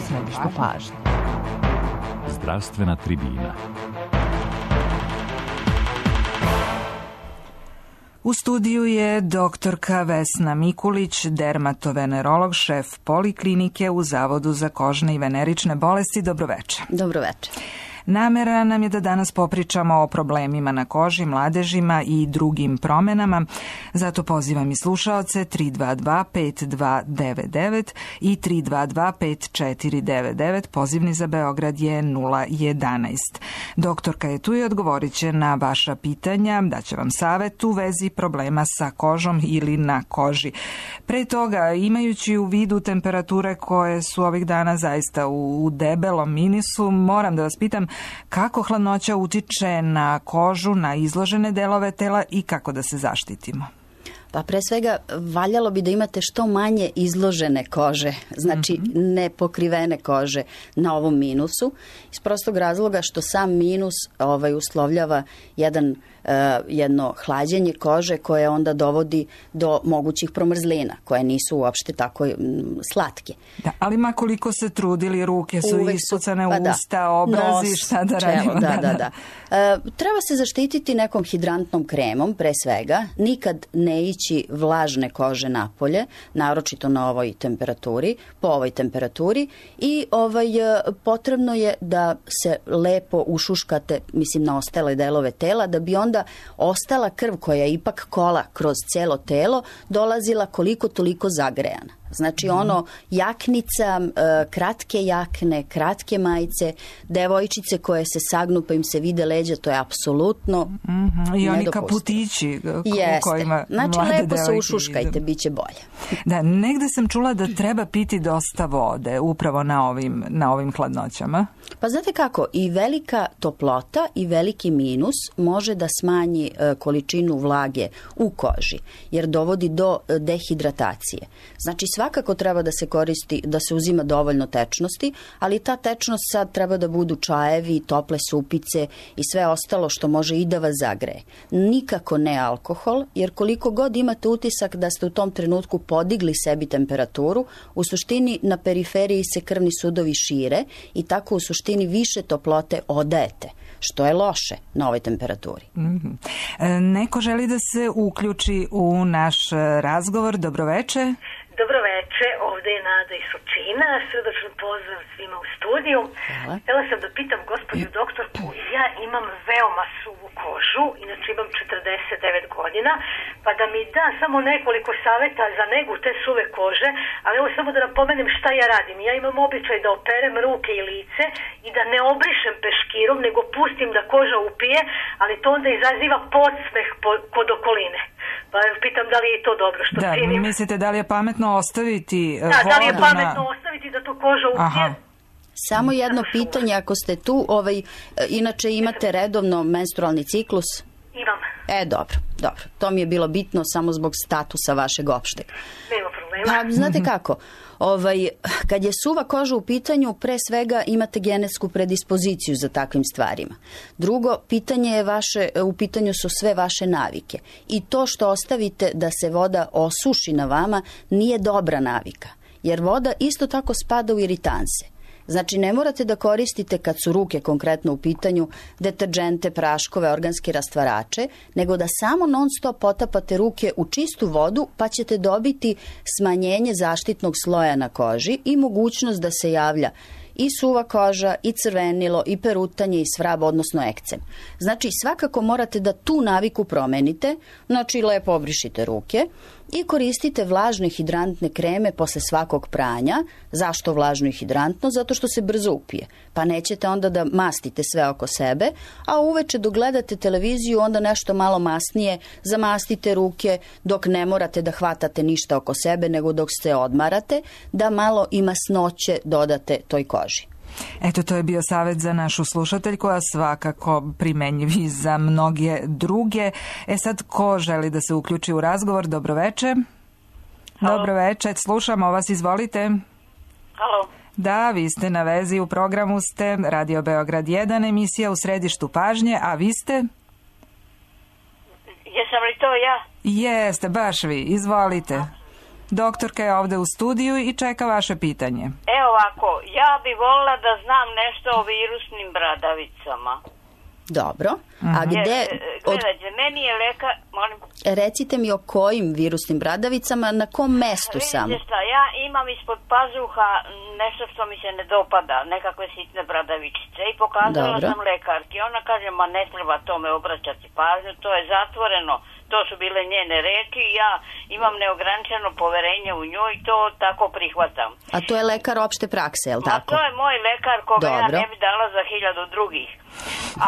središtu pažnje. Zdravstvena tribina. U studiju je doktorka Vesna Mikulić, dermatovenerolog, šef poliklinike u Zavodu za kožne i venerične bolesti. Dobroveče. Dobroveče. Namera nam je da danas popričamo o problemima na koži, mladežima i drugim promenama. Zato pozivam i slušaoce 322-5299 i 322-5499. Pozivni za Beograd je 011. Doktorka je tu i odgovorit će na vaša pitanja, daće vam savet u vezi problema sa kožom ili na koži. Pre toga, imajući u vidu temperature koje su ovih dana zaista u debelom minusu, moram da vas pitam kako hladnoća utiče na kožu, na izložene delove tela i kako da se zaštitimo. Pa pre svega valjalo bi da imate što manje izložene kože, znači nepokrivene kože na ovom minusu, iz prostog razloga što sam minus uslovljava jedno hlađenje kože koje onda dovodi do mogućih promrzlina, koje nisu uopšte tako slatke. Da, ali ma koliko se trudili, ruke su ispucane, usta, obrazi, nos, šta da radimo? Da. Treba se zaštititi nekom hidrantnom kremom, pre svega, nikad ne ići vlažne kože napolje, naročito na ovoj temperaturi, po ovoj temperaturi i potrebno je da se lepo ušuškate, mislim, na ostale delove tela, da bi onda ostala krv koja ipak kola kroz celo telo dolazila koliko toliko zagrejana. Znači jaknica, kratke jakne, kratke majice, devojčice koje se sagnu pa im se vide leđa, to je apsolutno i oni kaputići u kojima znači mlade lepo se devojke ušuškajte, bit će bolje. Da, negde sam čula da treba piti dosta vode upravo na ovim hladnoćama. Pa znate kako, i velika toplota i veliki minus može da smanji količinu vlage u koži, jer dovodi do dehidratacije. Znači svakako treba da se koristi, da se uzima dovoljno tečnosti, ali ta tečnost sad treba da budu čajevi, tople supice i sve ostalo što može i da vas zagreje. Nikako ne alkohol, jer koliko god imate utisak da ste u tom trenutku podigli sebi temperaturu, u suštini na periferiji se krvni sudovi šire i tako u suštini više toplote odajete, što je loše na ovoj temperaturi. Neko želi da se uključi u naš razgovor. Dobroveče. Dobroveče, ovde je Nada iz Surčina, srdačan pozdrav svima u studiju. Htela sam da pitam gospođu doktorku, ja imam veoma suvu kožu, inače imam 49 godina, pa da mi da samo nekoliko saveta za negu te suve kože, ali evo samo da napomenem šta ja radim. Ja imam običaj da operem ruke i lice i da ne obrišem peškirom, nego pustim da koža upije, ali to onda izaziva podsmeh kod okoline. Pa pitam da li je to dobro što činim. Mislite da li je pametno ostaviti vodu? Da li je pametno ostaviti da to koža upije? Samo jedno pitanje, ako ste tu, inače imate redovno menstrualni ciklus? Imam. Dobro. To mi je bilo bitno samo zbog statusa vašeg opšteg. Nema problema. Pa, znate kako, kad je suva koža u pitanju, pre svega imate genetsku predispoziciju za takvim stvarima. Drugo, u pitanju su sve vaše navike. I to što ostavite da se voda osuši na vama nije dobra navika, jer voda isto tako spada u iritanse. Znači, ne morate da koristite, kad su ruke konkretno u pitanju, deterdžente, praškove, organske rastvarače, nego da samo non stop potapate ruke u čistu vodu, pa ćete dobiti smanjenje zaštitnog sloja na koži i mogućnost da se javlja i suva koža, i crvenilo, i perutanje, i svrab, odnosno ekcem. Znači, svakako morate da tu naviku promenite, znači lepo obrišite ruke i koristite vlažne hidrantne kreme posle svakog pranja. Zašto vlažno i hidrantno? Zato što se brzo upije. Pa nećete onda da mastite sve oko sebe, a uveče dok gledate televiziju onda nešto malo masnije zamastite ruke dok ne morate da hvatate ništa oko sebe, nego dok se odmarate, da malo i masnoće dodate toj koži. Eto, to je bio savjet za našu slušateljku, a svakako primenjiv i za mnoge druge. Sad, ko želi da se uključi u razgovor? Dobroveče. Dobroveče, slušamo vas, izvolite. Halo. Da, vi ste na vezi, u programu ste Radio Beograd 1, emisija U središtu pažnje, a vi ste? Jesam li to ja? Jeste, baš vi, izvolite. Doktorka je ovde u studiju i čeka vaše pitanje. Evo ovako, ja bi volila da znam nešto o virusnim bradavicama. Dobro. A gde... Gledajte, meni je lekar... Molim. Recite mi o kojim virusnim bradavicama, na kom mestu samo? Vidite šta, ja imam ispod pazuha nešto što mi se ne dopada, nekakve sitne bradavičice i pokazala sam lekarki. Ona kaže, ma ne treba tome obraćati pažnju, to je zatvoreno. To su bile njene reči i ja imam neograničeno poverenje u nju i to tako prihvatam. A to je lekar opšte prakse, je li tako? To je moj lekar koga ja ne bi dala za 1000 drugih.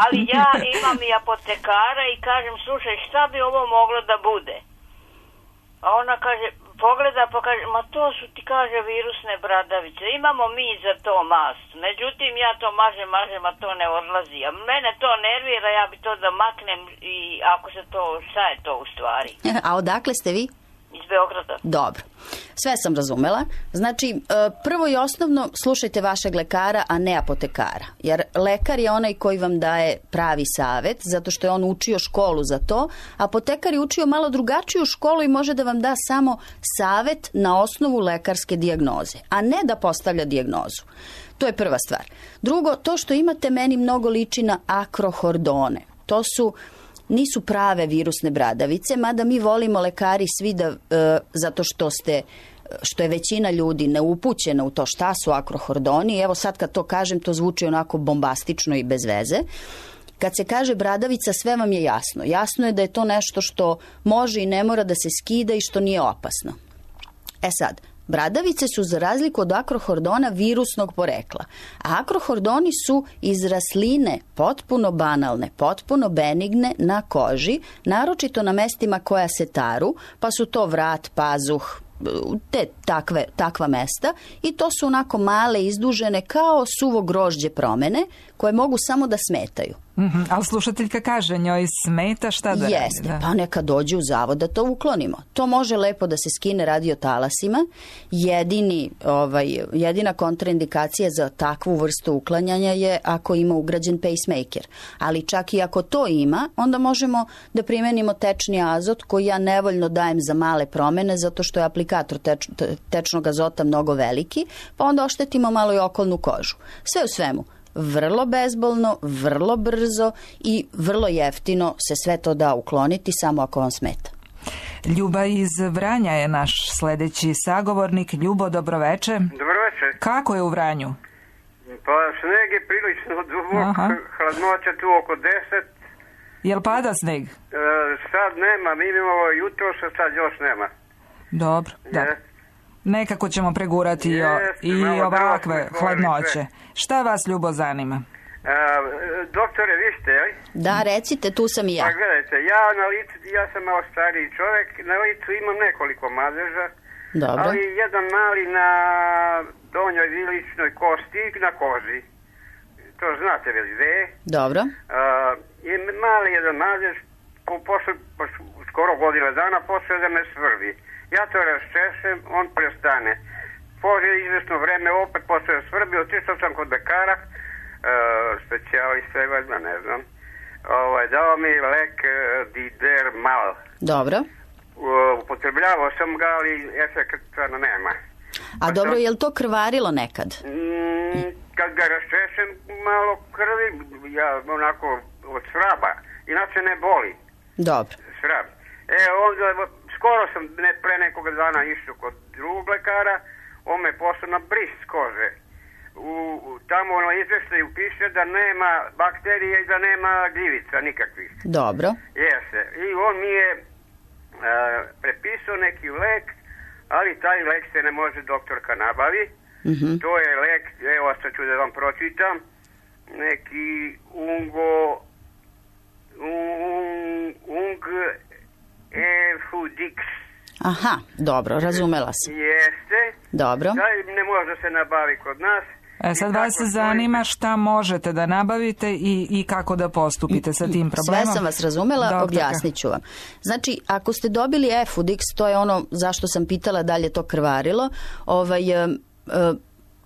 Ali ja imam i apotekara i kažem, slušaj, šta bi ovo moglo da bude? A ona kaže, pogleda pa kaže, ma to su ti, kaže, virusne bradavice. Imamo mi za to mast. Međutim, ja to mažem, a to ne odlazi. A mene to nervira, ja bi to da maknem i ako se to, šta je to u stvari? A odakle ste vi? Iz Beograda. Dobro. Sve sam razumela. Znači, prvo i osnovno, slušajte vašeg lekara, a ne apotekara. Jer lekar je onaj koji vam daje pravi savet, zato što je on učio školu za to. Apotekar je učio malo drugačiju školu i može da vam da samo savet na osnovu lekarske dijagnoze, a ne da postavlja dijagnozu. To je prva stvar. Drugo, to što imate meni mnogo liči na akrohordone. To su... nisu prave virusne bradavice, mada mi volimo lekari svi da, zato što je većina ljudi neupućena u to šta su akrohordoni. Evo sad kad to kažem, to zvuči onako bombastično i bez veze. Kad se kaže bradavica, sve vam je jasno. Jasno je da je to nešto što može i ne mora da se skida i što nije opasno. E sad, bradavice su za razliku od akrohordona virusnog porekla. A akrohordoni su iz rasline potpuno banalne, potpuno benigne na koži, naročito na mestima koja se taru, pa su to vrat, pazuh, te takva mesta i to su onako male, izdužene kao suvo grožđe promene koje mogu samo da smetaju. Ali slušateljka kaže, njoj smeta, šta da radi? Jeste, pa neka dođe u zavod da to uklonimo. To može lepo da se skine radiotalasima. Jedina kontraindikacija za takvu vrstu uklanjanja je ako ima ugrađen pacemaker. Ali čak i ako to ima, onda možemo da primenimo tečni azot koji ja nevoljno dajem za male promene zato što je aplikator tečnog azota mnogo veliki, pa onda oštetimo malo i okolnu kožu. Sve u svemu, vrlo bezbolno, vrlo brzo i vrlo jeftino se sve to da ukloniti samo ako vam smeta. Ljuba iz Vranja je naš sledeći sagovornik. Ljubo, dobroveče. Dobroveče. Kako je u Vranju? Pa sneg je prilično dubok, hladnoća tu oko 10. Jel pada sneg? Sad nema, mi imamo jutro, sad još nema. Dobro, da. Nekako ćemo pregurati i ovakve hladnoće. Šta vas, Ljubo, zanima? Doktore, vi ste, jel? Da, recite, tu sam i ja. Pa gledajte, ja sam malo stariji čovjek, na licu imam nekoliko madeža, ali jedan mali na donjoj viličnoj kosti na koži. To znate li gde? Dobro. Je mali jedan madež, skoro godina dana, posle da me svrbi. Ja to raščešem, on prestane. Pože izvesno vreme, opet posle svrbi, otišao sam kod lekara, specijalista, ne znam, dao mi lek Didermal. Dobro. Upotrebljavao sam ga, ali efekta nema. A dobro, je li to krvarilo nekad? Kad ga raščešem, malo krvi, ja onako od svraba, inače ne boli. Dobro. Svrab. Onda, skoro sam pre nekoga dana išao kod drugog lekara, on me poslao na bris kože. Tamo na izveštaju piše da nema bakterije i da nema gljivica nikakvih. Dobro. Jeste. I on mi je prepisao neki lek, ali taj lek se ne može doktorka nabavi. To je lek, evo sad ću da vam pročitam, neki Efudix. Aha, dobro, razumela sam. Jeste. Dobro. Da ne može se nabavi kod nas. Sad vas zanima šta možete da nabavite i kako da postupite sa tim problemom. Sve sam vas razumela, objasnit ću vam. Znači, ako ste dobili Efudix, to je ono zašto sam pitala da li je to krvarilo,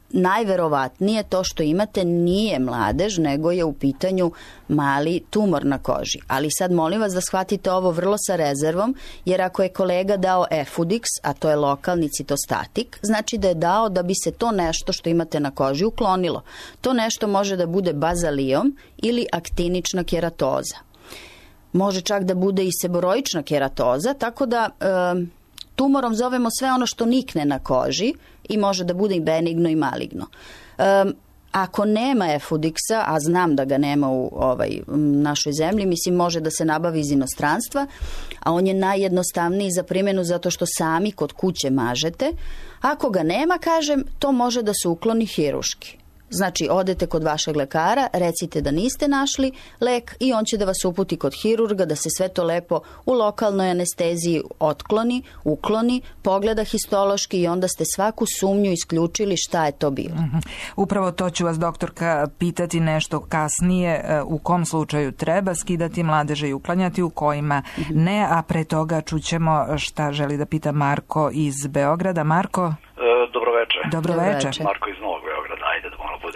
najverovatnije to što imate nije mladež, nego je u pitanju mali tumor na koži. Ali sad molim vas da shvatite ovo vrlo sa rezervom, jer ako je kolega dao Efudix, a to je lokalni citostatik, znači da je dao da bi se to nešto što imate na koži uklonilo. To nešto može da bude bazalijom ili aktinična keratoza. Može čak da bude i seboroična keratoza, tako da tumorom zovemo sve ono što nikne na koži i može da bude i benigno i maligno. Ako nema Efudiksa, a znam da ga nema u našoj zemlji, mislim može da se nabavi iz inostranstva, a on je najjednostavniji za primjenu zato što sami kod kuće mažete. Ako ga nema, kažem, to može da se ukloni hiruški. Znači, odete kod vašeg lekara, recite da niste našli lek i on će da vas uputi kod hirurga, da se sve to lepo u lokalnoj anesteziji otkloni, ukloni, pogleda histološki i onda ste svaku sumnju isključili šta je to bilo. Upravo to ću vas, doktorka, pitati nešto kasnije, u kom slučaju treba skidati mladeže i uklanjati, u kojima ne, a pre toga čućemo šta želi da pita Marko iz Beograda. Marko? Dobro večer. Marko iz Novog Beograda, ajde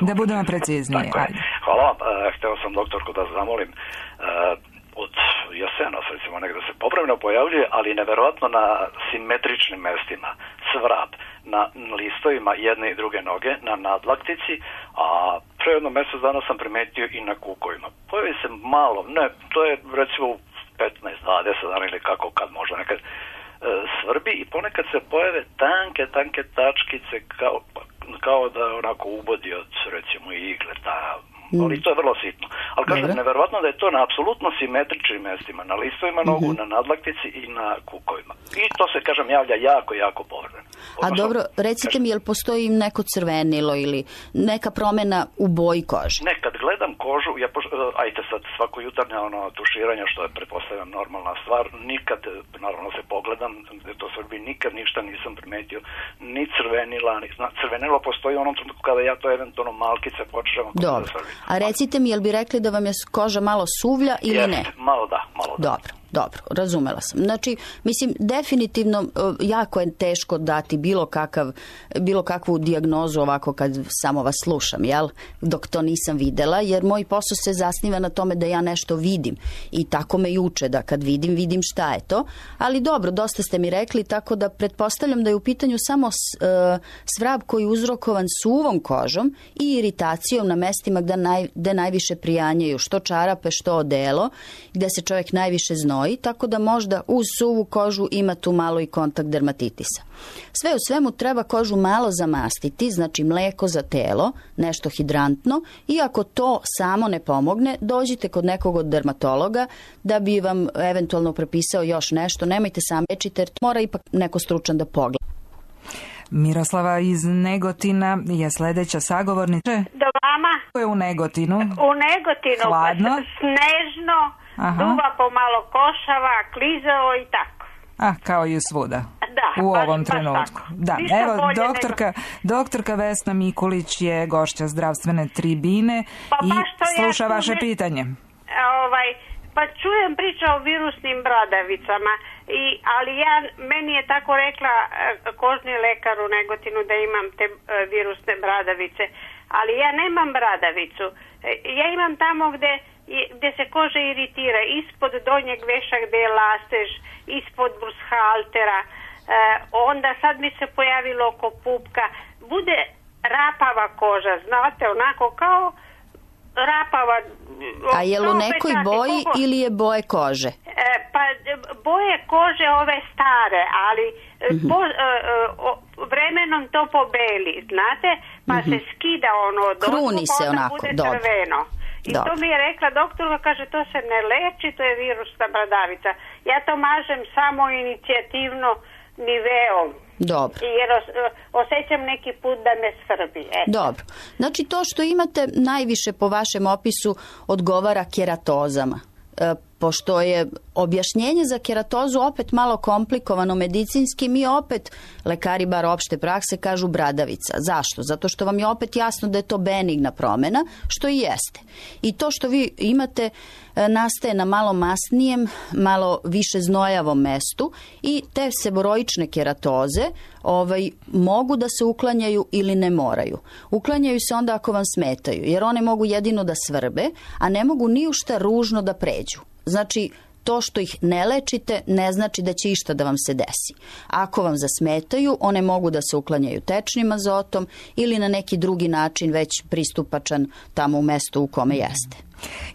da budemo precizniji. Hvala vam. Hteo sam, doktorko, da zamolim, od jesenas, recimo, negde se povremeno pojavljuje, ali neverovatno na simetričnim mestima, svrab, na listovima jedne i druge noge, na nadlaktici, a pre jedno mesec dana sam primetio i na kukovima. Pojavi se malo, ne, to je recimo 15-20 dana ili kako, kad možda nekad svrbi i ponekad se pojave tanke tačkice kao da onako ubodi od recimo igle, ali to je vrlo sitno. Ali kažem, neverovatno da je to na apsolutno simetričnim mestima, na listovima nogu, na nadlaktici i na kukovima. I to se, kažem, javlja jako povremeno. A dobro, recite mi, jel postoji neko crvenilo ili neka promjena u boji kože? Ne, kad gledam kožu, ajte sad svako jutarnje tuširanje, što je pretpostavljam normalna stvar, nikad, naravno se pogledam, to srbi, nikad ništa nisam primetio, ni crvenila, crvenilo postoji u onom trenutku kada ja to eventualno malkice počnem. Dobro, a recite mi, jel bi rekli da vam je koža malo suvlja ili ne? Malo da. Dobro, razumela sam. Znači, mislim, definitivno jako je teško dati bilo kakvu dijagnozu ovako kad samo vas slušam, jel? Dok to nisam videla, jer moj posao se zasniva na tome da ja nešto vidim i tako me juče da kad vidim šta je to. Ali dobro, dosta ste mi rekli, tako da pretpostavljam da je u pitanju samo svrab koji je uzrokovan suvom kožom i iritacijom na mestima gde najviše prijanjaju, što čarape, što odelo, gde se čovjek najviše znoji, tako da možda uz suvu kožu ima tu malo i kontakt dermatitisa. Sve u svemu treba kožu malo zamastiti, znači mleko za telo, nešto hidrantno, i ako to samo ne pomogne, dođite kod nekog od dermatologa da bi vam eventualno prepisao još nešto. Nemojte sam lečiti jer mora ipak neko stručan da pogleda. Miroslava iz Negotina je sljedeća sagovornica. Do vama? Ko je u Negotinu? U Negotinu. Hladno? Snežno, duva pomalo košava, klizao i tako. Kao i svuda. Da, u ovom trenutku. Da, evo, doktorka Vesna Mikulić je gošća zdravstvene tribine i sluša vaše pitanje. Pa čujem priča o virusnim bradavicama, ali meni je tako rekla kožni lekar u Negotinu da imam te virusne bradavice, ali ja nemam bradavicu. Ja imam tamo gde se koža iritira, ispod donjeg veša gde je lastež, ispod brushaltera, onda sad mi se pojavilo oko pupka, bude rapava koža, znate, onako kao rapava. A je li u nekoj boji ili je boje kože? Pa boje kože ove stare, ali vremenom to pobeli, znate, pa se skida ono, kruni se onako, bude crveno. I to mi je rekla doktorka, kaže, to se ne leči, to je virusna bradavica. Ja to mažem samo inicijativno niveom. Dobro. Jer osjećam neki put da me svrbi. Dobro. Znači to što imate najviše po vašem opisu odgovara keratozama. pošto je objašnjenje za keratozu opet malo komplikovano medicinski, mi opet, lekari bar opšte prakse, kažu bradavica. Zašto? Zato što vam je opet jasno da je to benigna promjena, što i jeste. I to što vi imate nastaje na malo masnijem, malo više znojavom mestu i te seboroične keratoze mogu da se uklanjaju ili ne moraju. Uklanjaju se onda ako vam smetaju, jer one mogu jedino da svrbe, a ne mogu ni u šta ružno da pređu. Znači, to što ih ne lečite ne znači da će išta da vam se desi. Ako vam zasmetaju, one mogu da se uklanjaju tečnim azotom ili na neki drugi način već pristupačan tamo u mestu u kome jeste.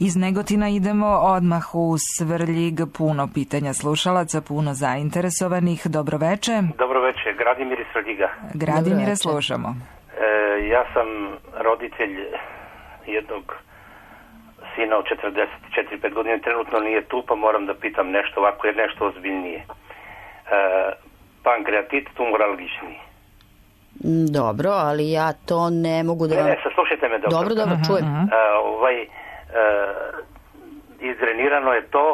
Iz Negotina idemo odmah u Svrljig, puno pitanja slušalaca, puno zainteresovanih. Dobroveče. Dobroveče, Gradimir iz Svrljiga. Gradimire, slušamo. Ja sam roditelj jednog sina od 44-5 godina, trenutno nije tu, pa moram da pitam nešto ovako, jer nešto ozbiljnije. Pankreatit tumoralgični. Dobro, ali ja to ne mogu da... Ne, saslušajte me dobro. Dobro, čujem. Izdrenirano je to,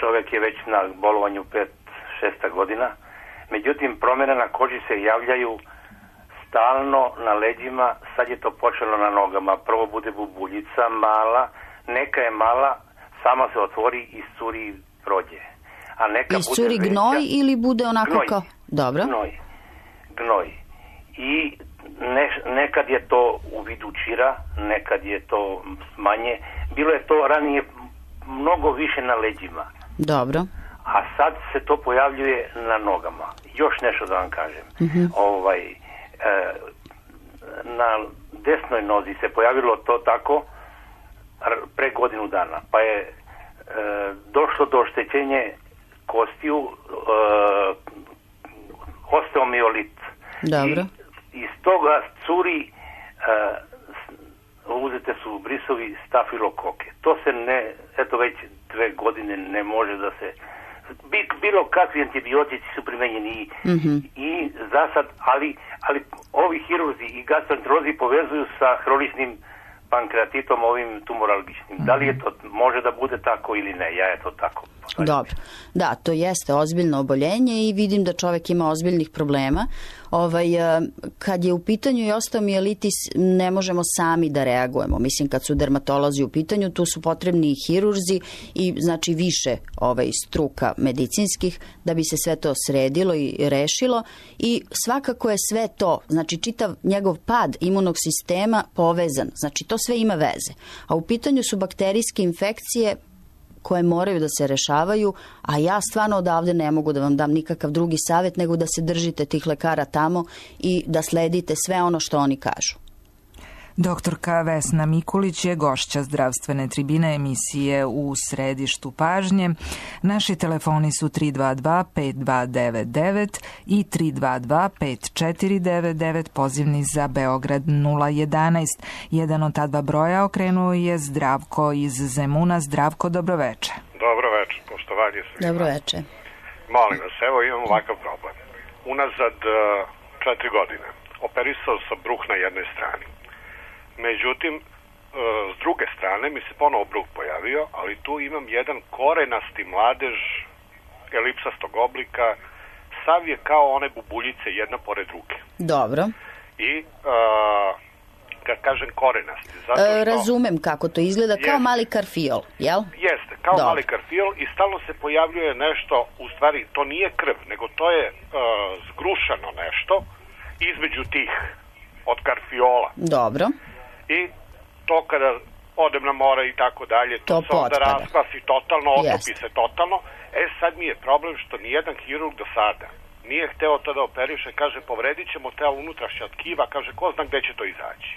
čovjek je već na bolovanju 5-6 godina, međutim promjene na koži se javljaju stalno na leđima, sad je to počelo na nogama, prvo bude bubuljica mala, neka je mala, sama se otvori i iscuri prođe. A neka iscuri bude gnoj veća, ili bude onako gnoj, kao... Dobro. Gnoj. I nekad je to u vidu čira, nekad je to manje. Bilo je to ranije mnogo više na leđima. Dobro. A sad se to pojavljuje na nogama. Još nešto da vam kažem. Na desnoj nozi se pojavilo to tako pre godinu dana. Pa je došlo do oštećenja kostiju, osteomiolit. Dobro. I iz toga curi, uzete su brisovi stafilokoke. To se eto već 2 godine ne može da se... Bilo kakvi antibiotici su primenjeni i za sad, ali ovi hirurzi i gastroenterolozi povezuju sa hroničnim pankreatitom, ovim tumoralgičnim. Da li je to, može da bude tako ili ne? Ja je to tako. Dobro. Da, to jeste ozbiljno oboljenje i vidim da čovjek ima ozbiljnih problema. Kad je u pitanju i osteomijelitis, ne možemo sami da reagujemo. Mislim, kad su dermatolozi u pitanju, tu su potrebni i hirurzi i znači više struka medicinskih da bi se sve to sredilo i rešilo. I svakako je sve to, znači čitav njegov pad imunog sistema povezan. Znači to sve ima veze. A u pitanju su bakterijske infekcije koje moraju da se rešavaju, a ja stvarno odavde ne mogu da vam dam nikakav drugi savjet nego da se držite tih lekara tamo i da sledite sve ono što oni kažu. Doktorka Vesna Mikulić je gošća zdravstvene tribine emisije U središtu pažnje. Naši telefoni su 322-5299 i 322-5499, pozivni za Beograd 011. Jedan od ta dva broja okrenuo je Zdravko iz Zemuna. Zdravko, dobroveče. Dobroveče, poštovanje svima. Dobroveče. Molim vas, evo imam ovakav problem. Unazad 4 godine operisao sam bruh na jednoj strani. Međutim, s druge strane mi se ponovo bruh pojavio, ali tu imam jedan korenasti mladež elipsastog oblika, sav je kao one bubuljice jedna pored druge. Dobro. I kad kažem korenasti, zato što... Razumem kako to izgleda, kao mali karfiol, jel? Jeste, kao mali karfiol i stalno se pojavljuje nešto, u stvari to nije krv, nego to je zgrušano nešto između tih od karfiola. Dobro. I to kada odem na more i tako dalje, to se onda raskvasi totalno, otopi se totalno. Sad mi je problem što nijedan hirurg do sada nije hteo to da operiše, kaže povredit ćemo te unutrašnja tkiva, kaže ko zna gde će to izaći.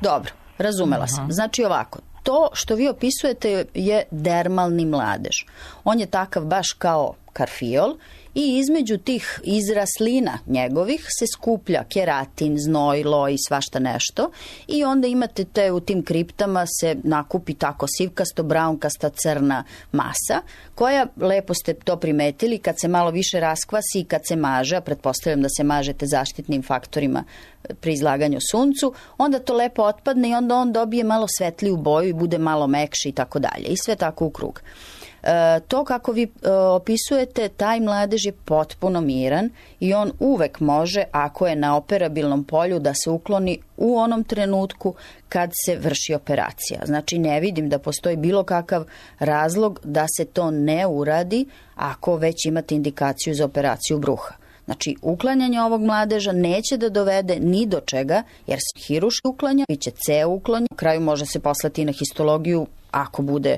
Dobro, razumela sam. Znači ovako, to što vi opisujete je dermalni mladež. On je takav baš kao karfiol i između tih izraslina njegovih se skuplja keratin, znoj, loj i svašta nešto i onda imate u tim kriptama se nakupi tako sivkasto, braunkasta, crna masa koja, lepo ste to primetili, kad se malo više raskvasi i kad se maže, a pretpostavljam da se mažete zaštitnim faktorima pri izlaganju suncu, onda to lepo otpadne i onda on dobije malo svetliju boju i bude malo mekši i tako dalje i sve tako u krug. To kako vi opisujete, taj mladež je potpuno miran i on uvek može, ako je na operabilnom polju, da se ukloni u onom trenutku kad se vrši operacija. Znači, ne vidim da postoji bilo kakav razlog da se to ne uradi ako već imate indikaciju za operaciju bruha. Znači, uklanjanje ovog mladeža neće da dovede ni do čega, jer se hiruški uklanja, bit će ceo uklanja, u kraju može se poslati na histologiju ako bude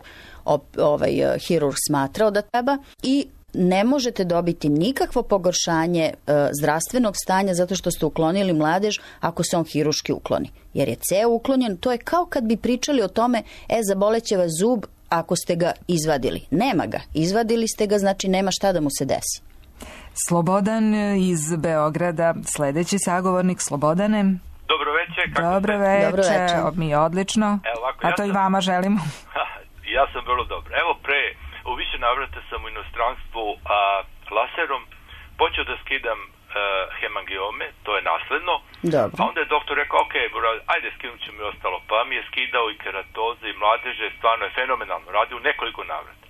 hirurg smatrao da treba, i ne možete dobiti nikakvo pogoršanje zdravstvenog stanja zato što ste uklonili mladež ako se on hiruški ukloni. Jer je ceo uklonjen, to je kao kad bi pričali o tome, zaboleće vas zub ako ste ga izvadili. Nema ga. Izvadili ste ga, znači nema šta da mu se desi. Slobodan iz Beograda, sledeći sagovornik. Slobodane. Dobro večer. Dobro večer, mi odlično. A to i vama želimo. Ja sam vrlo dobro. Evo, u više navrata sam u inostranstvu laserom počeo da skidam hemangiome, to je nasledno. Dobro. A onda je doktor rekao, ok, ajde skinut ću mi ostalo. Pa mi je skidao i keratoze i mladeže, stvarno je fenomenalno radio u nekoliko navrata.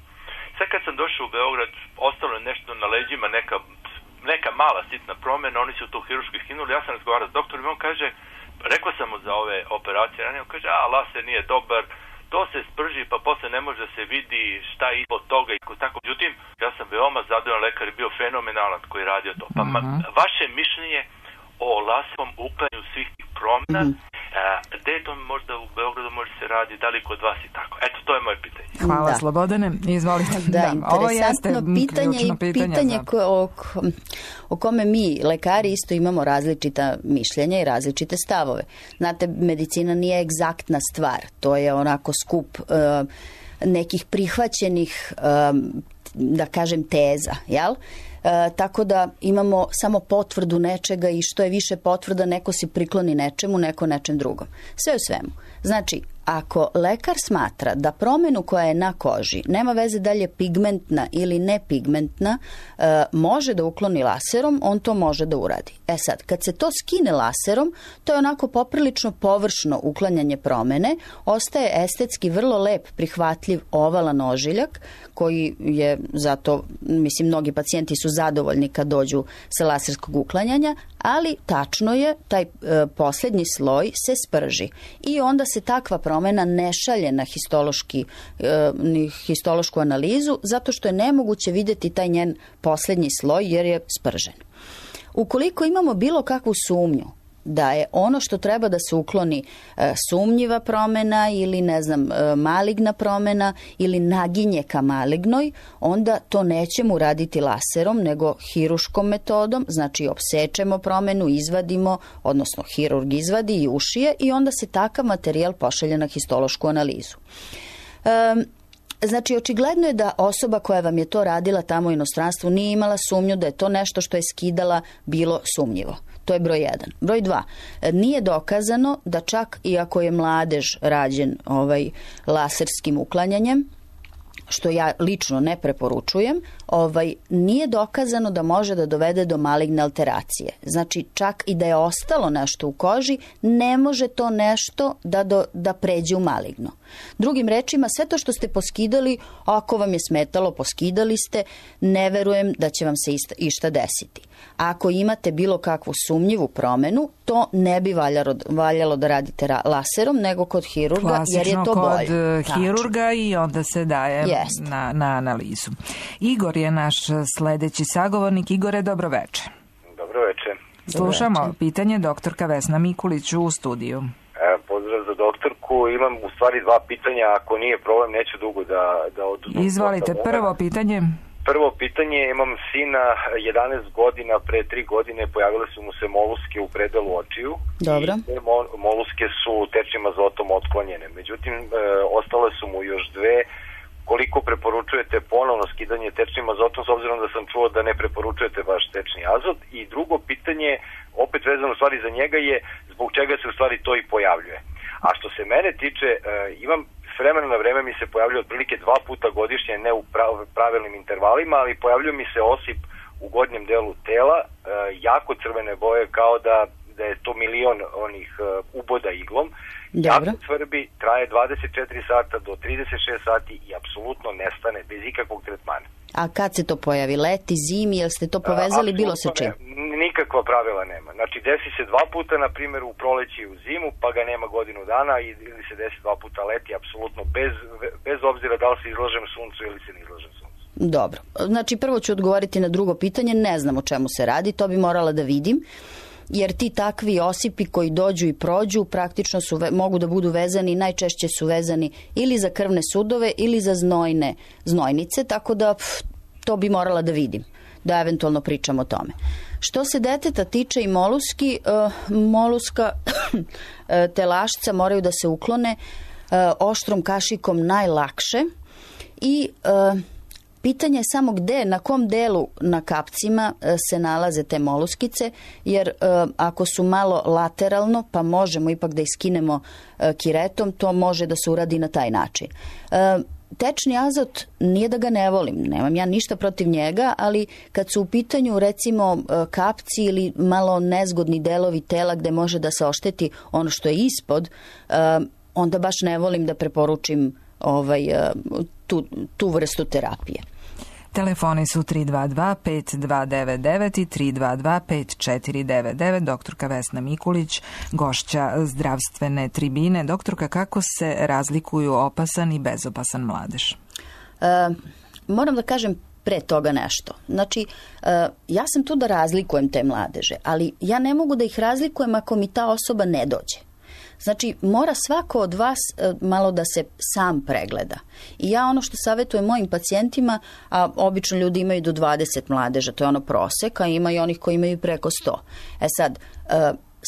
Sad kad sam došao u Beograd, ostalo je nešto na leđima, neka mala sitna promjena, oni su to hiruški skinuli, ja sam razgovarao s doktorom i on kaže, rekao sam mu za ove operacije, on kaže, laser nije dobar, to se sprži pa posle ne može se vidi šta je ispod toga i tako. Međutim, ja sam veoma zadovoljan, lekar je bio fenomenalan koji je radio to. Pa vaše mišljenje o laserom uklanju svih tih promjena, gde je to možda u Beogradu može se radi, da li kod vas i tako? Eto, to je moje pitanje. Hvala, Slobodane, izvolite. Da, interesantno pitanje i pitanje o kome mi, lekari, isto imamo različita mišljenja i različite stavove. Znate, medicina nije egzaktna stvar, to je onako skup nekih prihvaćenih, da kažem, teza, jel? Tako da imamo samo potvrdu nečega i što je više potvrda, neko se prikloni nečemu, neko nečem drugom. Sve u svemu. Znači, ako lekar smatra da promjenu koja je na koži nema veze da li je pigmentna ili nepigmentna, može da ukloni laserom, on to može da uradi. Sad, kad se to skine laserom, to je onako poprilično površno uklanjanje promjene, ostaje estetski vrlo lep, prihvatljiv ovalan ožiljak, koji je zato, mislim, mnogi pacijenti su zadovoljni kad dođu sa laserskog uklanjanja, ali tačno je, taj posljednji sloj se sprži i onda se takva promjena ne šalje na histološku analizu zato što je nemoguće vidjeti taj njen posljednji sloj jer je spržen. Ukoliko imamo bilo kakvu sumnju da je ono što treba da se ukloni sumnjiva promjena ili maligna promjena ili naginje ka malignoj, onda to nećemo uraditi laserom nego hiruškom metodom, znači opsečemo promjenu, izvadimo, odnosno hirurg izvadi i ušije i onda se takav materijal pošalje na histološku analizu. Znači, očigledno je da osoba koja vam je to radila tamo u inostranstvu nije imala sumnju da je to nešto što je skidala bilo sumnjivo. To je broj 1. Broj 2. Nije dokazano da čak i ako je mladež rađen laserskim uklanjanjem, što ja lično ne preporučujem, nije dokazano da može da dovede do maligne alteracije. Znači, čak i da je ostalo nešto u koži, ne može to nešto da pređe u maligno. Drugim rečima, sve to što ste poskidali, ako vam je smetalo, poskidali ste, ne verujem da će vam se išta desiti. Ako imate bilo kakvu sumnjivu promjenu, to ne bi valjalo da radite laserom, nego kod hirurga, jer je to bolje. Klasično kod hirurga i onda se daje na analizu. Igor je naš sledeći sagovornik. Igore, dobro večer. Dobro večer. Slušamo pitanje doktorka Vesna Mikulić u studiju. Pozdrav za doktorku. Imam u stvari 2 pitanja, ako nije problem, neću dugo da oduzmem. Izvolite, prvo pitanje. Prvo pitanje, imam sina 11 godina, pre 3 godine pojavile su mu se moluske u predelu očiju. Dobro. I moluske su tečnim azotom otklonjene. Međutim, ostale su mu još 2. Koliko preporučujete ponovno skidanje tečnim azotom, s obzirom da sam čuo da ne preporučujete baš tečni azot? I drugo pitanje, opet vezano u stvari za njega, je zbog čega se u stvari to i pojavljuje. A što se mene tiče, imam s vremena na vreme mi se pojavljuje otprilike 2 puta godišnje, ne u pravilnim intervalima, ali pojavljuje mi se osip u gornjem delu tela, jako crvene boje, kao da da je to milion onih uboda iglom. Dobro. Jako svrbi, traje 24 sata do 36 sati i apsolutno nestane bez ikakvog tretmana. A kad se to pojavi? Leti, zimi, jel ste to povezali bilo sa čim? Nikakva pravila nema. Znači, desi se 2 puta, na primjer, u proleći i u zimu, pa ga nema godinu dana, ili se desi 2 puta leti, apsolutno bez obzira da li se izlažem suncu ili se ne izlažem suncu. Dobro. Znači, prvo ću odgovoriti na drugo pitanje, ne znam o čemu se radi, to bi morala da vidim, jer ti takvi osipi koji dođu i prođu praktično mogu da budu vezani, najčešće su vezani ili za krvne sudove ili za znojnice, tako da to bi morala da vidim, da eventualno pričam o tome. Što se deteta tiče i moluski, moluska telašca moraju da se uklone oštrom kašikom najlakše i pitanje je samo gde, na kom delu na kapcima se nalaze te moluskice, jer ako su malo lateralno, pa možemo ipak da iskinemo kiretom, to može da se uradi na taj način. Tečni azot, nije da ga ne volim, nemam ja ništa protiv njega, ali kad su u pitanju recimo kapci ili malo nezgodni delovi tela gde može da se ošteti ono što je ispod, onda baš ne volim da preporučim tu vrstu terapije. Telefoni su 322-5299 i 322-5499. Doktorka Vesna Mikulić, gošća zdravstvene tribine. Doktorka, kako se razlikuju opasan i bezopasan mladež? Moram da kažem pre toga nešto. Znači, ja sam tu da razlikujem te mladeže, ali ja ne mogu da ih razlikujem ako mi ta osoba ne dođe. Znači, mora svako od vas malo da se sam pregleda. I ja ono što savjetujem mojim pacijentima, a obično ljudi imaju do 20 mladeža, to je ono prosek, a ima i onih koji imaju preko 100. Sad,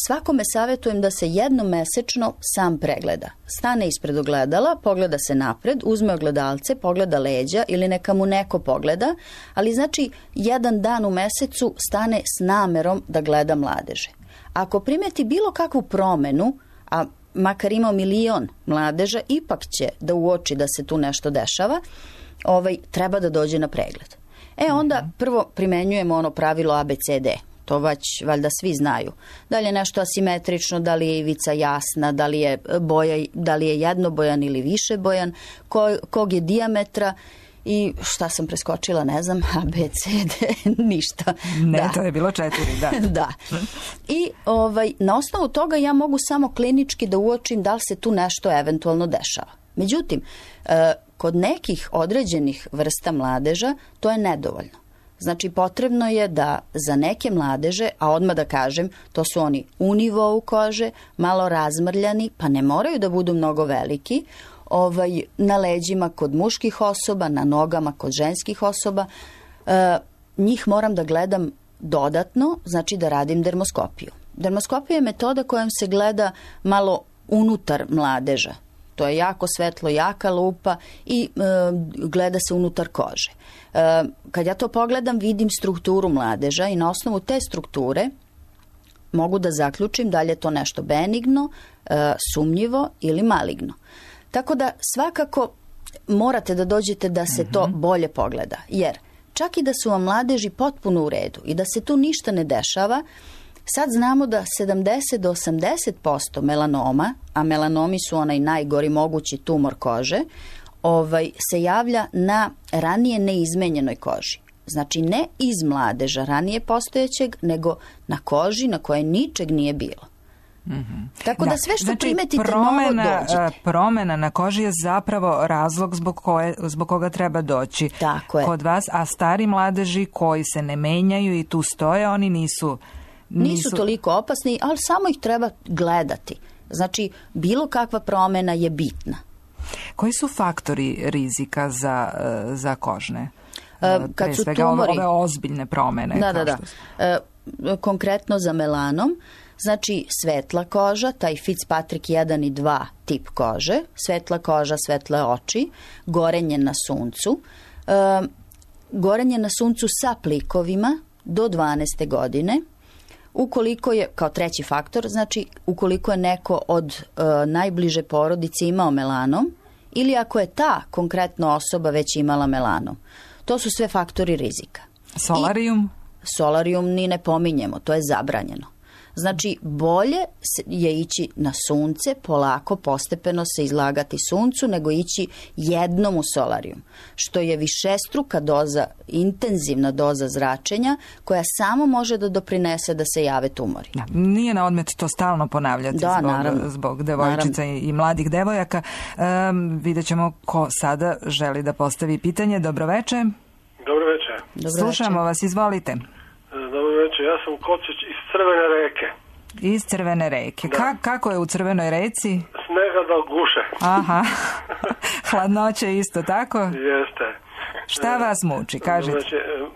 svakome savjetujem da se jednom mesečno sam pregleda. Stane ispred ogledala, pogleda se napred, uzme ogledalce, pogleda leđa ili neka mu neko pogleda, ali znači jedan dan u mesecu stane s namerom da gleda mladeže. Ako primeti bilo kakvu promenu, a makar ima milion mladeža, ipak će da uoči da se tu nešto dešava, treba da dođe na pregled. Onda prvo primenjujemo ono pravilo ABCD. To valjda svi znaju. Da li je nešto asimetrično, da li je ivica jasna, da li je jednobojan ili višebojan, kog je dijametra i šta sam preskočila, ne znam, A, B, C, D, ništa. Ne, to je bilo 4, da. Da. I na osnovu toga ja mogu samo klinički da uočim da li se tu nešto eventualno dešava. Međutim, kod nekih određenih vrsta mladeža to je nedovoljno. Znači, potrebno je da za neke mladeže, a odmah da kažem, to su oni u nivou kože, malo razmrljani, pa ne moraju da budu mnogo veliki, na leđima kod muških osoba, na nogama kod ženskih osoba, njih moram da gledam dodatno, znači da radim dermoskopiju. Dermoskopija je metoda kojom se gleda malo unutar mladeža. To je jako svetlo, jaka lupa i gleda se unutar kože. Kad ja to pogledam, vidim strukturu mladeža i na osnovu te strukture mogu da zaključim da li je to nešto benigno, sumnjivo ili maligno. Tako da svakako morate da dođete da se to bolje pogleda, jer čak i da su vam mladeži potpuno u redu i da se tu ništa ne dešava, sad znamo da 70 do 80% melanoma, a melanomi su onaj najgori mogući tumor kože, se javlja na ranije neizmenjenoj koži. Znači ne iz mladeža ranije postojećeg, nego na koži na kojoj ničeg nije bilo. Tako da sve što primetite novo dođete. Promena na koži je zapravo razlog zbog koga treba doći kod vas, a stari mladeži koji se ne menjaju i tu stoje, oni nisu toliko opasni, ali samo ih treba gledati. Znači, bilo kakva promena je bitna. Koji su faktori rizika za kožne? Kad su tumori, ove ozbiljne promene. Konkretno za melanom, znači svetla koža, taj Fitzpatrick 1 i 2 tip kože, svetla koža, svetle oči, gorenje na suncu, gorenje na suncu sa plikovima do 12. godine, ukoliko je, kao treći faktor, znači ukoliko je neko od najbliže porodice imao melanom ili ako je ta konkretna osoba već imala melanom. To su sve faktori rizika. Solarium? Solarium ni ne pominjemo, to je zabranjeno. Znači, bolje je ići na sunce, polako, postepeno se izlagati suncu, nego ići jednom u solarijum, što je višestruka doza, intenzivna doza zračenja, koja samo može da doprinese da se jave tumori. Da, nije na odmet to stalno ponavljati zbog devojčica i mladih devojaka. Vidjet ćemo ko sada želi da postavi pitanje. Dobroveče. Dobroveče. Slušamo vas, izvolite. Dobroveče, ja sam Kocić iz Crvene reke. Iz Crvene reke. Kako je u Crvenoj reci? Snega da guše. Aha. Hladnoće isto, tako? Jeste. Šta vas muči, kažete? Znači,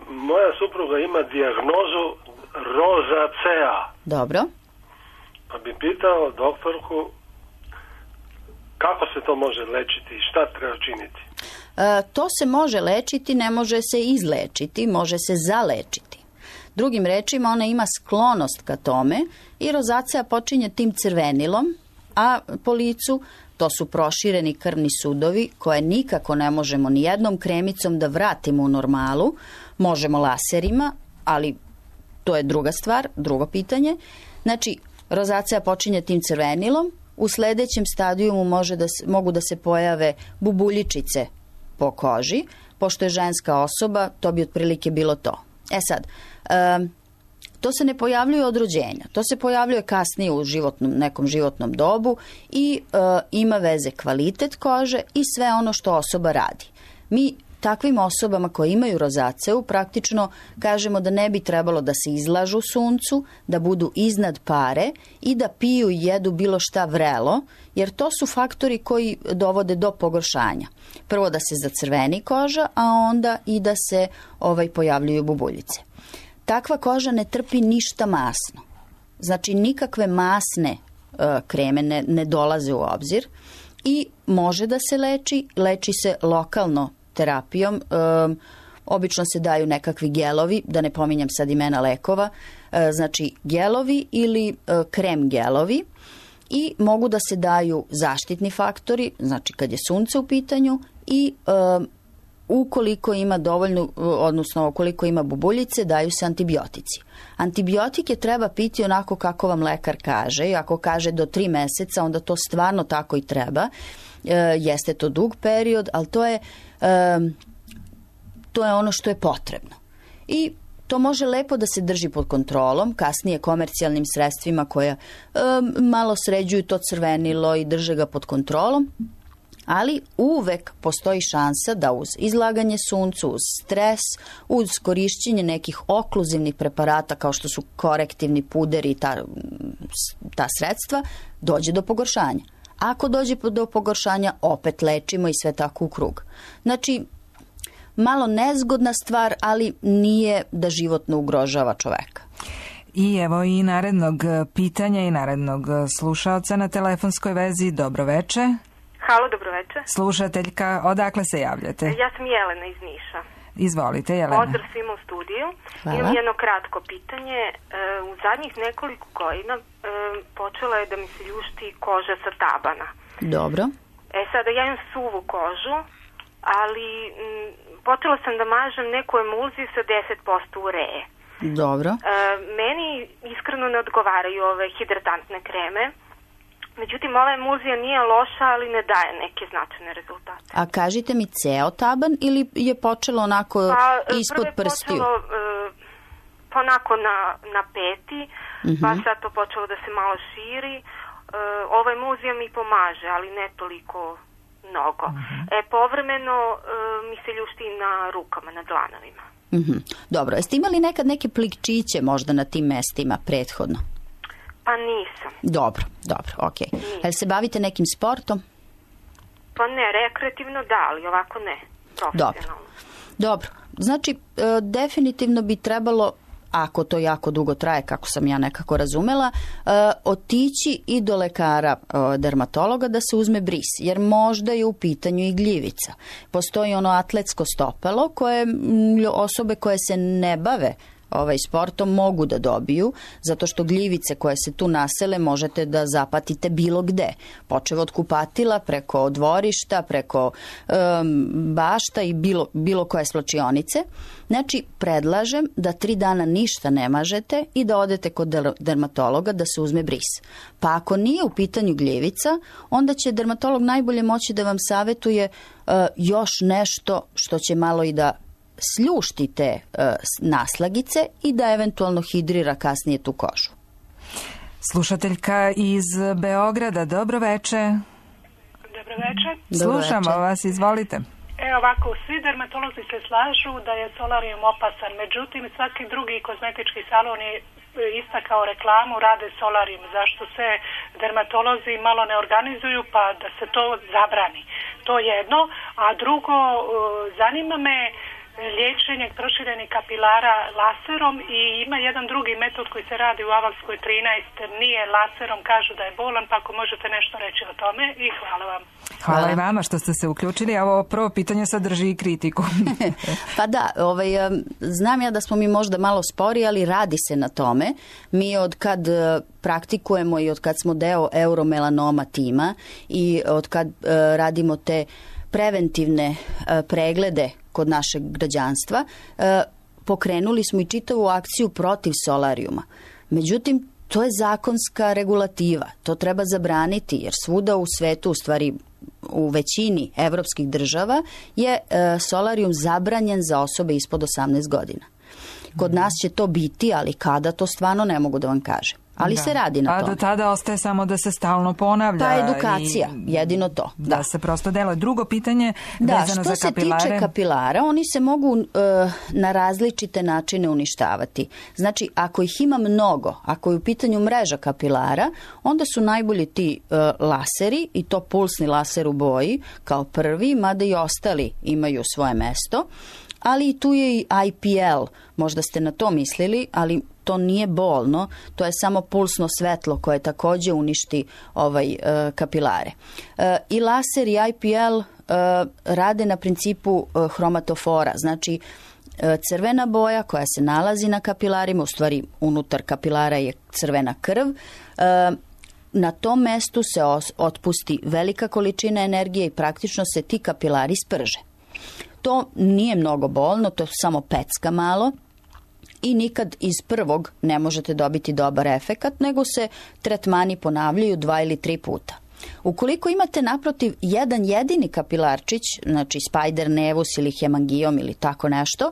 moja supruga ima dijagnozu rozacea. Dobro. Pa bi pitao doktorku kako se to može lečiti i šta treba činiti? To se može lečiti, ne može se izlečiti, može se zalečiti. Drugim rečima, ona ima sklonost ka tome i rozacea počinje tim crvenilom, a po licu to su prošireni krvni sudovi koje nikako ne možemo ni jednom kremicom da vratimo u normalu. Možemo laserima, ali to je druga stvar, drugo pitanje. Znači, rozacea počinje tim crvenilom, u sledećem stadijumu mogu da se pojave bubuljičice po koži, pošto je ženska osoba, to bi otprilike bilo to. Sad, to se ne pojavljuje od rođenja, to se pojavljuje kasnije u nekom životnom dobu i ima veze kvalitet kože i sve ono što osoba radi. Mi takvim osobama koje imaju rozaceu praktično kažemo da ne bi trebalo da se izlažu suncu, da budu iznad pare i da piju i jedu bilo šta vrelo, jer to su faktori koji dovode do pogoršanja. Prvo da se zacrveni koža, a onda i da se pojavljuju bubuljice. Takva koža ne trpi ništa masno. Znači nikakve masne kreme ne dolaze u obzir i može da se leči se lokalno terapijom, obično se daju nekakvi gelovi, da ne pominjam sad imena lekova, znači gelovi ili krem gelovi i mogu da se daju zaštitni faktori, znači kad je sunce u pitanju i ukoliko ima dovoljno, odnosno ukoliko ima bubuljice, daju se antibiotici. Antibiotike treba piti onako kako vam lekar kaže i ako kaže do 3 meseca, onda to stvarno tako i treba. Jeste to dug period, ali to je ono što je potrebno. I to može lepo da se drži pod kontrolom, kasnije komercijalnim sredstvima koja malo sređuju to crvenilo i drže ga pod kontrolom, ali uvek postoji šansa da uz izlaganje suncu, uz stres, uz korišćenje nekih okluzivnih preparata kao što su korektivni puderi i ta sredstva, dođe do pogoršanja. Ako dođe do pogoršanja, opet lečimo i sve tako u krug. Znači, malo nezgodna stvar, ali nije da životno ugrožava čoveka. I evo i narednog pitanja i narednog slušaoca na telefonskoj vezi. Dobroveče. Halo, dobroveče. Slušateljka, odakle se javljate? Ja sam Jelena iz Niša. Izvolite, Jelena. Pozdrav svima u studiju. Hvala. Imam jedno kratko pitanje. U zadnjih nekoliko godina počela je da mi se ljušti koža sa tabana. Dobro. Sada ja imam suvu kožu, ali počela sam da mažem neku emulziju sa 10% ureje. Dobro. Meni iskreno ne odgovaraju ove hidratantne kreme. Međutim, ova emulzija nije loša, ali ne daje neke značajne rezultate. A kažite mi ceo taban ili je počelo onako ispod prstiju? Prvo je počelo onako na peti, pa sad to počelo da se malo širi. Ova emulzija mi pomaže, ali ne toliko mnogo. Povremeno mi se ljušti na rukama, na dlanovima. Dobro, jeste imali nekad neke plikčiće možda na tim mestima prethodno? Pa nisam. Dobro, okej. Jel se bavite nekim sportom? Pa ne, rekreativno da, ali ovako ne, profesionalno. Dobro. Znači, definitivno bi trebalo, ako to jako dugo traje, kako sam ja nekako razumela, otići i do lekara dermatologa da se uzme bris, jer možda je u pitanju i gljivica. Postoji ono atletsko stopalo koje osobe koje se ne bave sportom mogu da dobiju, zato što gljivice koje se tu nasele možete da zapatite bilo gde. Počev od kupatila, preko dvorišta, preko bašta i bilo koje svlačionice. Znači, predlažem da 3 dana ništa ne mažete i da odete kod dermatologa da se uzme bris. Pa ako nije u pitanju gljivica, onda će dermatolog najbolje moći da vam savetuje još nešto što će malo i da sljušti te naslagice i da eventualno hidrira kasnije tu kožu. Slušateljka iz Beograda, dobro veče. Dobro veče. Slušamo vas, izvolite. Ovako, svi dermatolozi se slažu da je solarium opasan, međutim svaki drugi kozmetički salon je istakao reklamu, rade solarium. Zašto se dermatolozi malo ne organizuju pa da se to zabrani? To jedno, a drugo, zanima me liječenje proširenih kapilara laserom i ima jedan drugi metod koji se radi u Avalskoj 13, nije laserom, kažu da je bolan, pa ako možete nešto reći o tome i hvala vam. Hvala i vama što ste se uključili, a ovo prvo pitanje sadrži i kritiku. Pa da, znam ja da smo mi možda malo spori, ali radi se na tome. Mi od kad praktikujemo i od kad smo deo euromelanoma tima i od kad radimo te preventivne preglede kod našeg građanstva, pokrenuli smo i čitavu akciju protiv solarijuma. Međutim, to je zakonska regulativa. To treba zabraniti, jer svuda u svetu, u stvari u većini evropskih država, je solarijum zabranjen za osobe ispod 18 godina. Kod nas će to biti, ali kada, to stvarno ne mogu da vam kažem. Ali se radi na tome. A do tada ostaje samo da se stalno ponavlja. Ta edukacija, jedino to. Da se prosto deluje. Drugo pitanje vezano za kapilare. Što se tiče kapilara, oni se mogu na različite načine uništavati. Znači, ako ih ima mnogo, ako je u pitanju mreža kapilara, onda su najbolji ti laseri, i to pulsni laser u boji, kao prvi, mada i ostali imaju svoje mesto. Ali tu je i IPL, možda ste na to mislili, ali to nije bolno, to je samo pulsno svetlo koje također uništi kapilare. I laser i IPL rade na principu hromatofora, znači crvena boja koja se nalazi na kapilarima, u stvari unutar kapilara je crvena krv, na tom mestu se otpusti velika količina energije i praktično se ti kapilari sprže. To nije mnogo bolno, to je samo pecka malo i nikad iz prvog ne možete dobiti dobar efekat, nego se tretmani ponavljaju 2 ili 3 puta. Ukoliko imate naprotiv jedan jedini kapilarčić, znači spider nevus ili hemangijom ili tako nešto,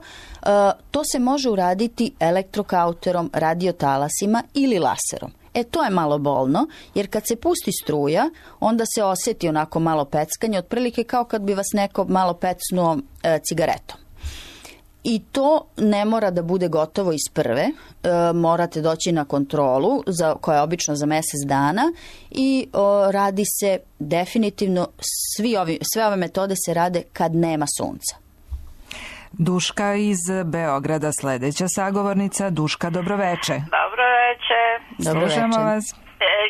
to se može uraditi elektrokauterom, radiotalasima ili laserom. To je malo bolno, jer kad se pusti struja, onda se osjeti onako malo peckanje, otprilike kao kad bi vas neko malo pecnuo cigaretom. I to ne mora da bude gotovo iz prve, morate doći na kontrolu, koja je obično za mjesec dana, i radi se definitivno, sve ove metode se rade kad nema sunca. Duška iz Beograda, sledeća sagovornica. Duška, dobroveče. Dobroveče. Slušamo vas.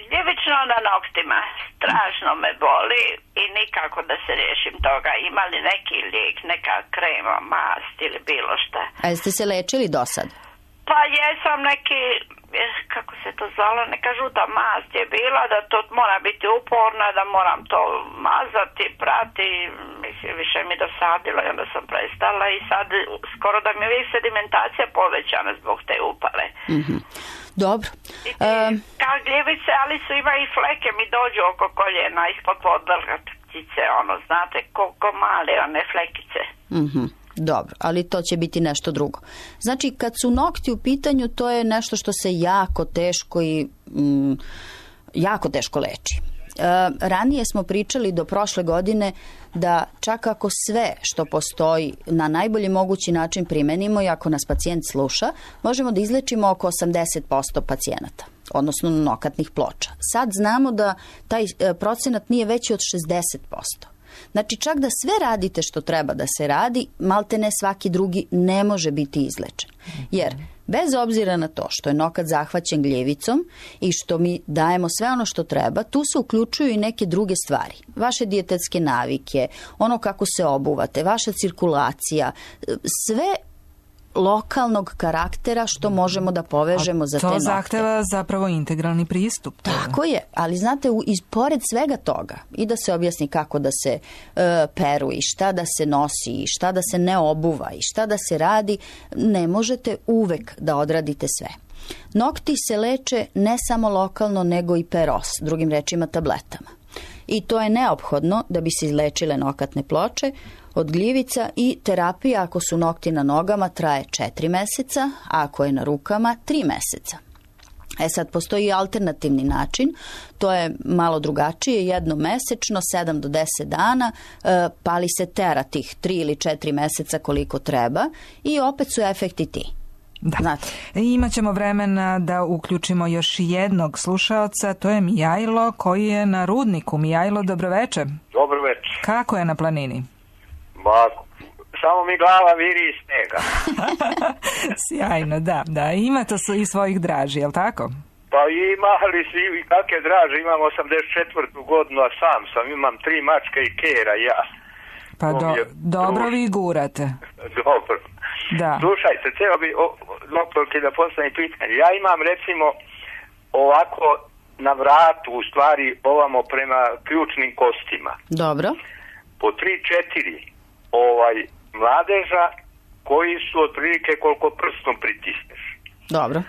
Gljivično na noktima. Strašno me boli i nikako da se riješim toga. Ima li neki lijek, neka krema, mast ili bilo šta? A jeste se lečili do sad? Pa jesam neki, kako se to zvalo, neka žuta mast je bila, da to mora biti uporna, da moram to mazati, prati, mislim, više mi dosadilo i onda sam prestala i sad skoro da mi je uvijek sedimentacija povećana zbog te upale. Mm-hmm. Dobro. Kao gljivice, ali su ima i fleke mi dođu oko koljena, ispod podvratice, znate, koliko male one flekice. Mhm. Dobro, ali to će biti nešto drugo. Znači, kad su nokti u pitanju, to je nešto što se jako teško i jako teško leči. Ranije smo pričali do prošle godine da čak ako sve što postoji na najbolji mogući način primenimo i ako nas pacijent sluša, možemo da izlečimo oko 80% pacijenata, odnosno nokatnih ploča. Sad znamo da taj procenat nije veći od 60%. Znači, čak da sve radite što treba da se radi, maltene svaki drugi ne može biti izlečen. Jer, bez obzira na to što je nokat zahvaćen gljivicom i što mi dajemo sve ono što treba, tu se uključuju i neke druge stvari. Vaše dijetetske navike, ono kako se obuvate, vaša cirkulacija, sve lokalnog karaktera što možemo da povežemo za te nokte. To zahteva zapravo integralni pristup. Tako je, ali znate, pored svega toga, i da se objasni kako da se peru i šta da se nosi i šta da se ne obuva i šta da se radi, ne možete uvek da odradite sve. Nokti se leče ne samo lokalno, nego i peros, drugim rečima tabletama. I to je neophodno da bi se izlečile nokatne ploče od gljivica i terapija ako su nokti na nogama traje 4 meseca, a ako je na rukama 3 meseca. Sad, postoji alternativni način, to je malo drugačije, jednomesečno, 7 do 10 dana, pali se tera tih 3 ili 4 meseca koliko treba i opet su efekti ti. Da. Imaćemo vremena da uključimo još jednog slušaoca, to je Mijajlo koji je na Rudniku. Mijajlo, dobroveče. Dobroveče. Kako je na planini? Samo mi glava viri iz snega. Sjajno, da. Ima to i svojih draži, je li tako? Pa ima, ali svi kakve draže, imam 84. godinu, a sam imam 3 mačke i kera, ja. Pa dobro vi gurate. Dobro. Da. Slušajte, treba bi doktorki da postavim pitanje. Ja imam recimo ovako na vratu, u stvari ovamo prema ključnim kostima. Dobro. Po 3-4 mladeža koji su otprilike koliko prstom pritisneš. Dobro.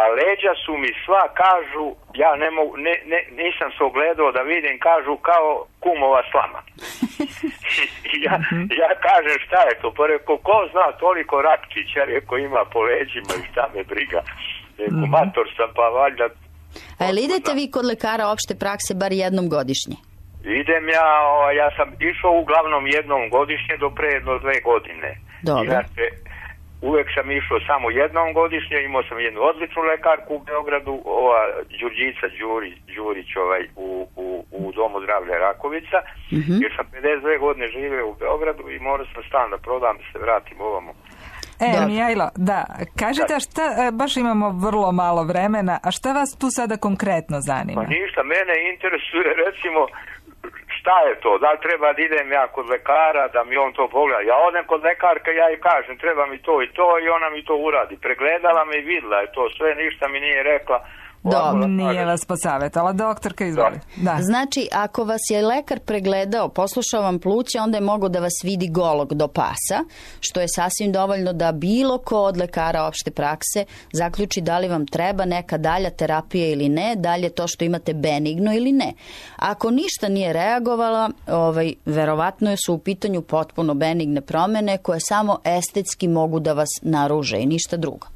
A leđa su mi sva, kažu, ja ne mogu, nisam se ogledao da vidim, kažu kao kumova slama. ja kažem šta je to, pa rekao, ko zna toliko Ratkića, rekao ima po leđima i šta me briga. Rekao, mator sam, pa valjda... A jel idete vi kod lekara opšte prakse bar jednom godišnje? Idem ja sam išao uglavnom jednom godišnje do pre 2 godine. Dobro. Inače, uvek sam išao samo jednom godišnje, imao sam jednu odličnu lekarku u Beogradu, Đurđica Đurić u Domu zdravlja Rakovica, jer sam 52 godine živeo u Beogradu i morao sam stan da prodam da se vratim ovamo. Mijajlo, da, kažite šta, baš imamo vrlo malo vremena, a šta vas tu sada konkretno zanima? Pa ništa, mene interesuje recimo šta je to, da li treba da idem ja kod lekara, da mi on to pogleda. Ja odem kod lekarka, ja i kažem treba mi to i to i ona mi to uradi. Pregledala me i videla je to sve, ništa mi nije rekla. Dobro, nije vas posavjetala. Doktorka, izvoli. Da. Znači, ako vas je lekar pregledao, poslušao vam pluća, onda je mogao da vas vidi golog do pasa, što je sasvim dovoljno da bilo ko od lekara opšte prakse zaključi da li vam treba neka dalja terapija ili ne, dalje to što imate benigno ili ne. Ako ništa nije reagovala, verovatno su u pitanju potpuno benigne promene koje samo estetski mogu da vas naruže i ništa drugo.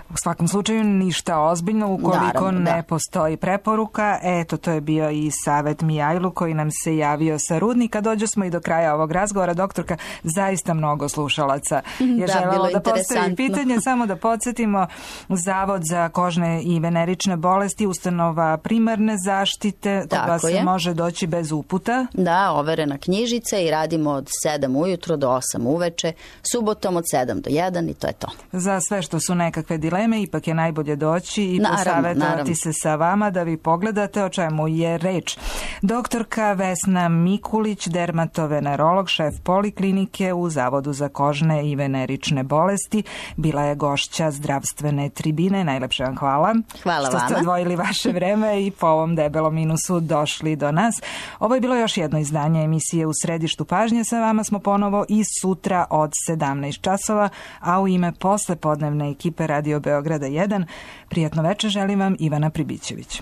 U svakom slučaju ništa ozbiljno ukoliko ne postoji preporuka. Eto, to je bio i savjet Mijajlu koji nam se javio sa Rudnika. Dođo smo i do kraja ovog razgovora. Doktorka, zaista mnogo slušalaca je želelo da postavi pitanje. Samo da podsjetimo, Zavod za kožne i venerične bolesti, ustanova primarne zaštite, kod vas se može doći bez uputa. Da, overena knjižica i radimo od 7 ujutro do 8 uveče, subotom od 7 do 1 i to je to. Za sve što su nekakve dileme, ipak je najbolje doći i posavjetovati se sa vama da vi pogledate o čemu je reč. Doktorka Vesna Mikulić, dermatovenerolog, šef poliklinike u Zavodu za kožne i venerične bolesti, bila je gošća zdravstvene tribine. Najlepše vam hvala. Hvala vama. Što ste odvojili vaše vreme i po ovom debelom minusu došli do nas. Ovo je bilo još jedno izdanje emisije U središtu pažnje. Sa vama smo ponovo i sutra od 17 časova, a u ime poslepodnevne ekipe Radio Beograda 1, prijatno večer želim vam Ivana Pribićević.